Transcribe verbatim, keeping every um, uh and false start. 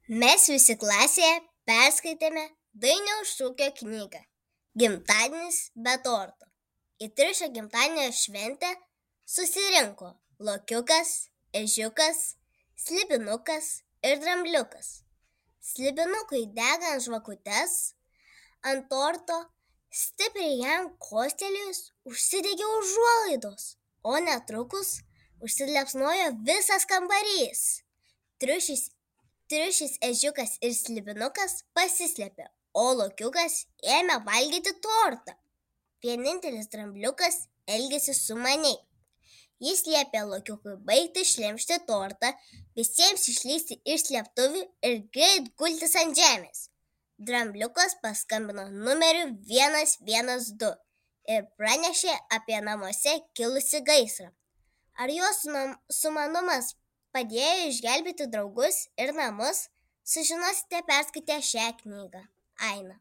Mes visi klasėje perskaitėme Dainiaus Šukio knygą Gimtadienis be torto. Į Triušio gimtadienio šventę susirinko Lokiukas, Ežiukas, Slibinukas ir Drambliukas. Slibinukui degant žvakutes ant torto, stipriai jam kostelėjus užsidegė užuolaidos, o netrukus užsiliepsnojo visas kambarys. Triušis Triušis, Ežiukas ir Slibinukas pasislėpė, o Lokiukas ėmė valgyti tortą. Vienintelis Drambliukas elgėsi sumaniai. Jis liepė Lokiukui baigti šlemšti tortą, visiems išlįsti iš slėptuvių ir greit gultis ant žemės. Drambliukas paskambino numeriu vienas vienas du ir pranešė apie namuose kilusi gaisrą. Ar jos sumanumas padėjo išgelbėti draugus ir namus, sužinosite perskaitę šią knygą. Aina.